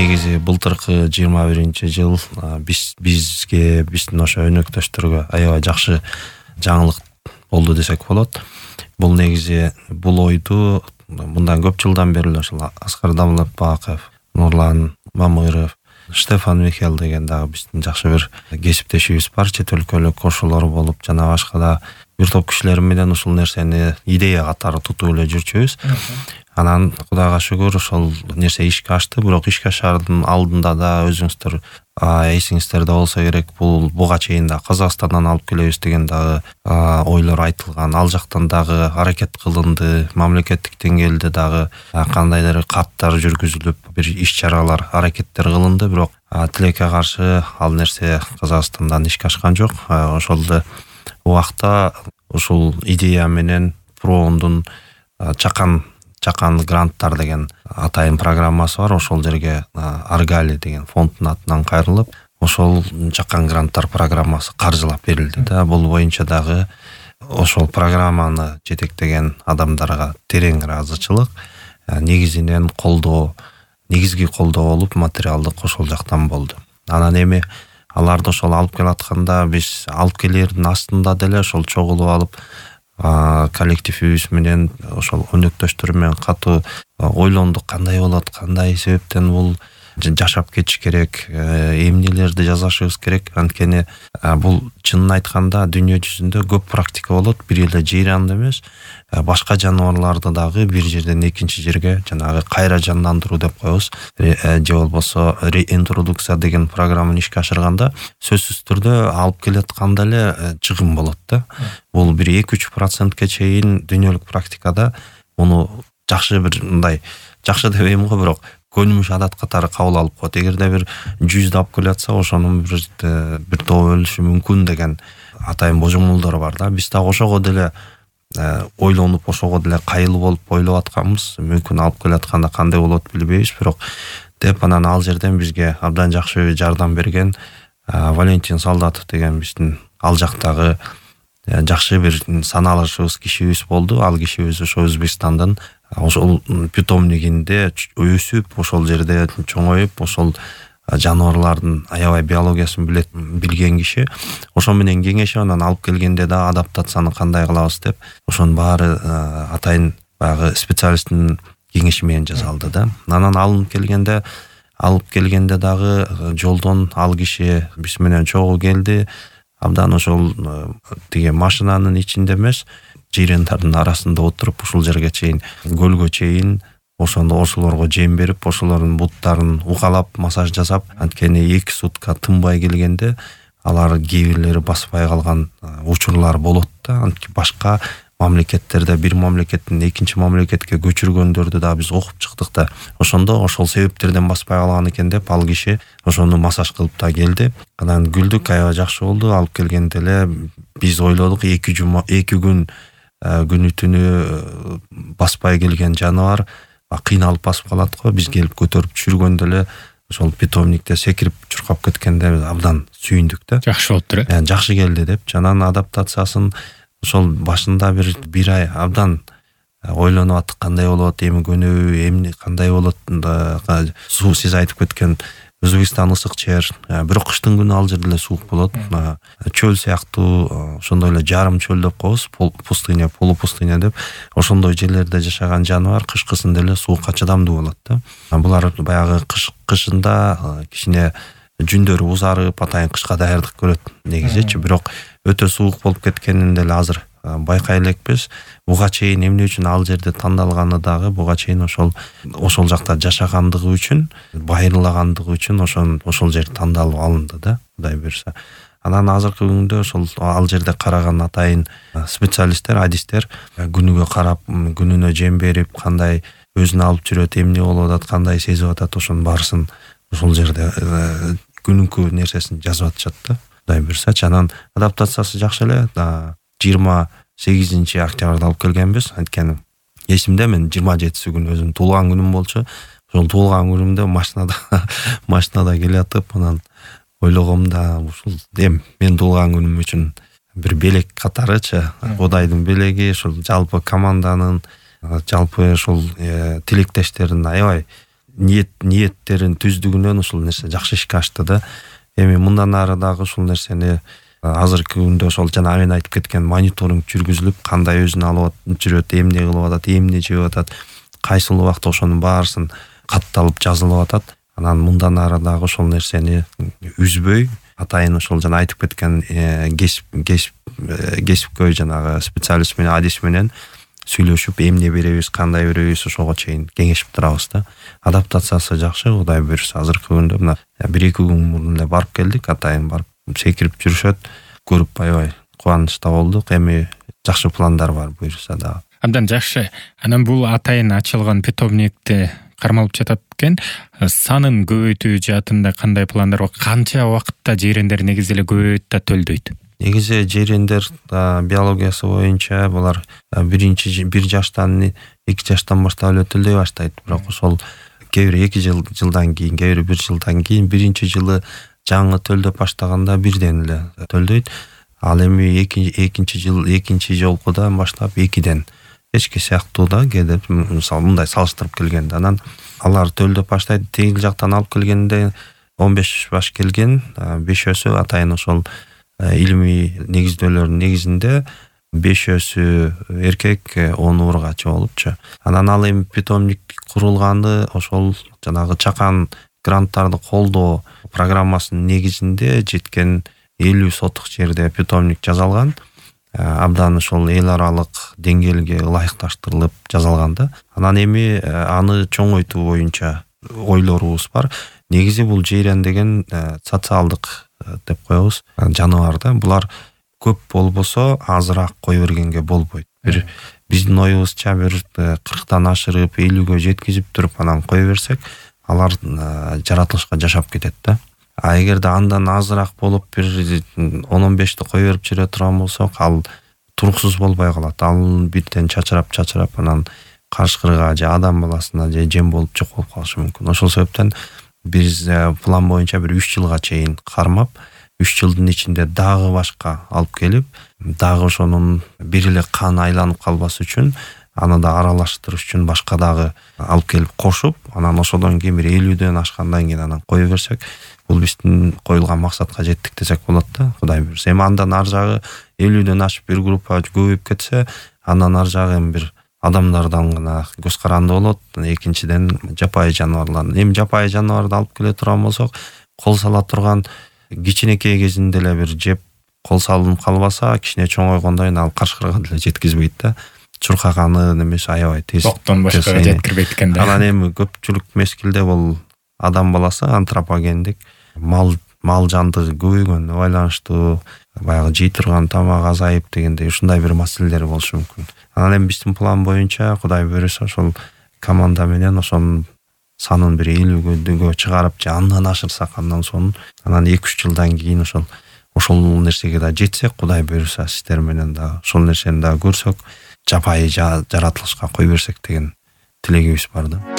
негизи былтыркы 21-жыл биздин ошо өнөктөштөргө аябай жакшы жаңылык болду десек болот. Бул негизи бул ойду мындан көп жылдан бери ошол Аскар Давлатбаков, Нурлан Мамыров, Штефан Михел деген дагы биздин жакшы бир кесиптешибиз бар, чет өлкөлүк кошулар болуп, жана башка да бир топ кишилер менен ушул нерсени идея катары тутуп эле жүрчүбүз. Анан Кудайга шүгүр ошол нерсе ишке ашты, бирок ишке ашаардын алдында да өзүңүздөр эсиңиздерде болсо керек, буга чейин да Казакстандан алып келебиз деген дагы ойлор айтылган. Ал жактан дагы аракет кылынды, мамлекеттик деңгээлде дагы кандайдыр каттар жүргүзүлүп, бир иш-чаралар, аракеттер кылынды, бирок тилекке каршы ал нерсе Казакстандан ишке ашкан жок. Ошол убакта ушул идея менен Проондун Чакан гранттар деген атайын программасы бар. Ошол жерге Аргали деген фонддун атынан кайрылып, ошол Чакан гранттар программасы каржылап берилди да. Бул боюнча дагы ошол программаны жетектеген адамдарга терең ыраазычылык, негизинен негизги колдоо болуп, материалдык ошол жактан болду. Анан эми аларды ошол алып келатканда биз алып келердин астында деле ошол чогулуп алып коллективибиз менен ошол өнөктөштөр менен катуу ойлондук, кандай болот, кандай себептен бул жашап кетиш керек, эмнелерди жасашыбыз керек. Анткени бул чынын айтканда дүйнө жүзүндө көп практика болот, бир эле жыйранды эмес, башка жаныбарларды дагы бир жерден экинчи жерге жанагы кайра жандандыруу деп коебуз, же болбосо реинтродукция деген программаны ишке ашырганда сөзсүз түрдө алып келатканда эле чыгым болот да. Бул бир 2-3%ке чейин дүйнөлүк практикада муну жакшы бир мындай жакшы дебейм го, бирок көнүмүш адат катары кабыл алып коет. Эгерде бир 100 алып келатса, ошонун бир тобу өлүшү мүмкүн деген атайын божомолдор бар да. Биз дагы ошого деле ойлонуп, ошого деле кайыл болуп ойлоп атканбыз. Мүмкүн алып келатканда кандай болот билбейбиз, бирок деп анан ал жерден бизге абдан жакшы жардам берген Валентин Солдатов деген биздин ал жактагы жакшы бир саналышыбыз кишибиз болду. Ал кишибиз ошо Өзбекстандын ошол питомнигинде өсүп, ошол жерде чоңоюп, ошол жаныбарлардын аябай биологиясын билген киши. Ошо менен кеңешип, анан алып келгенде да адаптацияны кандай кылабыз деп, ошонун баары атайын баягы специалисттин кеңеши менен жасалды да. Анан алып келгенде дагы жолдон ал киши биз менен чогуу келди. Абдан ошол тиги машинанын ичинде эмес, жыйрандардын арасында отуруп, ушул жерге чейин, көлгө чейин ошолорго жем берип, ошолордун буттарын укалап, массаж жасап, анткени 2 сутка тынбай келгенде алар кээ бирлери баспай калган учурлар болот да. Анткени башка мамлекеттерде бир мамлекеттен экинчи мамлекетке көчүргөндөрдү да биз окуп чыктык да. Ошондо ошол себептерден баспай калган экен деп ал киши ошону массаж кылып да келди. Анан күлдүк, аябай жакшы болду. Алып келгенде эле биз ойлодук 2 күн күнү түнү баспай келген жаныбар кыйналып басып калат го. Биз келип көтөрүп түшүргөндө эле ошол питомникте секирип чуркап кеткенде абдан сүйүндүк да. Жакшы болуптур. Жакшы келди деп. Жанан адаптациясын ошол башында бир ай абдан ойлонуп аттык, кандай болот, эми көнөбү, эмне кандай болот. Суу сиз айтып кеткен Өзбекстан ысык жер, бирок кыштын күнү ал жерде эле суук болот. Чөл сыяктуу, ошондой эле жарым чөл деп коебуз, пустыня, полупустыня деп. Ошондой жерлерде жашаган жаныбар кышкысында эле суукка чыдамдуу болот да. Булар баягы кышында кичине жүндөрү узарып, атайын кышка даярдык көрөт негизичи, бирок өтө суук болуп кеткенин деле азыр байкай элекпиз. Буга чейин эмне үчүн ал жерде тандалганы дагы буга чейин ошол жакта жашагандыгы үчүн, байырлагандыгы үчүн ошол жер тандалып алынды да, Кудай буйрса. Анан азыркы күндө ошол ал жерде караган атайын специалисттер, адистер күнүгө карап, күнүнө жем берип, кандай өзүн алып жүрөт, эмне болуп атат, кандай сезип атат, ошонун баарысын ошол жерде күнүнкү нерсесин жазып атышат да. Кудай буйрса, анан адаптациясы жакшы эле. 28 октябрда алып келгенбиз. Анткени эсимде, мен 27 күнү өзүм туулган күнүм болчу. Ошол туулган күнүмдө машинада келатып, анан ойлогом да, ушул мен туулган күнүм үчүн бир белек катарычы, Кудайдын белеги, ошол жалпы команданын, жалпы ошол тилектештердин аябай ниеттерин түздүгүнөн ушул нерсе жакшы ишке ашты да. Эми мындан ары дагы ушул нерсени азыркы күндө ошол жана мен айтып кеткен мониторинг жүргүзүлүп, кандай өзүн алып жүрөт, эмне кылып атат, эмне жеп атат, кайсыл убакта ошонун баарысын катталып жазылып атат. Анан мындан ары дагы ошол нерсени үзбөй, атайын ошол жана айтып кеткен кесипкөй жанагы специалист менен, адис менен сүйлөшүп, эмне беребиз, кандай беребиз, ошого чейин кеңешип турабыз да. Адаптациясы жакшы, Кудай буюрса. Азыркы күндө мына 1-2 күн мурун эле барып келдик, атайын барып секирип жүрүшөт, көрүп аябай кубанычта болдук. Эми жакшы пландар бар буюрса дагы. Абдан жакшы. Анан бул атайын ачылган питомникти кармалып жатат экен. Санын көбөйтүү жаатында кандай пландар бар? Канча убакытта жирендер негизи эле көбөйөт да төлдөйт? Негизи жирендер биологиясы боюнча булар 1 жаштан 2 жаштан баштап эле төлдөй баштайт. Бирок ошол кээ бир 2 жылдан кийин, кээ бир 1 жылдан кийин, биринчи жылы жаңы төлдөп баштаганда бирден эле төлдөйт. Ал эми экинчи жолкудан баштап 2ден эчки сыяктуу да кээде мисалы мындай салыштырып келгенде анан алар төлдөп баштайт. Тегил жактан алып келгенде 15 баш келген, 5-өсү атайын ошол илимий негизделөрдүн негизинде 5-өсү эркек, 10 ургачы болупчу. Анан ал эми питомник курулганы ошол жанагы чакан гранттарды колдоо программасынын негизинде жеткен 50 сотук жерде питомник жасалган. Абдан ошол эл аралык деңгээлге ылайыкташтырылып жасалган да. Анан эми аны чоңойтуу боюнча ойлорубуз бар. Негизи бул жирен деген социалдык деп коебуз жаныбар да. Булар көп болбосо азыраак кой бергенге болбойт. Бир биздин оюбузча бир 40тан ашырып 50гө жеткизип туруп анан кой берсек, алар жаратылышка жашап кетет да. А эгерде андан азыраак болуп бир 10-15ти кой берип жүрө турган болсок, ал туруксуз болбой калат. Ал бирден чачырап анан карышкырга же адам баласына же жем болуп жок болуп калышы мүмкүн. Ошол себептен биз план боюнча бир 3 жылга чейин кармап, 3 жылдын ичинде дагы башка алып келип, дагы ошонун бир эле кан айланып калбас үчүн, аны да аралаштырыш үчүн башка дагы алып келип кошуп, анан ошодон кийин бир 50дөн ашкандан кийин анан кой берсек, бул биздин коюлган максатка жеттик десек болот да, Кудай буюрса. Эми андан ар жагы 50дөн ашып бир группа көбөйүп кетсе, андан ар жагы эми бир адамдардан гана көз каранды болот. Экинчиден жапайы жаныбарлар. Эми жапайы жаныбарды алып келе турган болсок, кол сала турган кичинекей кезинде эле бир жеп кол салынып калбаса, кичине чоңойгондон кийин ал карышкырга деле жеткизбейт да. Чуркаганы немесе аябай тез. Токтон башкага жеткирбейт экен да. Анан эми көпчүлүк мезгилде бул адам баласы антропогендик мал жандыгы көбөйгөнүнө байланыштуу, баягы жей турган тамак азайып дегендей ушундай бир маселелер болушу мүмкүн. Анан эми биздин план боюнча Кудай буюрса ошол команда менен ошонун санын бир 50гө чыгарып, же андан ашырсак, андан соң анан 2-3 жылдан кийин ошол нерсеге да жетсек, Кудай буюрса сиздер менен да ошол нерсени да көрсөк, жапайы жаратылышка кой берсек деген тилегибиз бар да.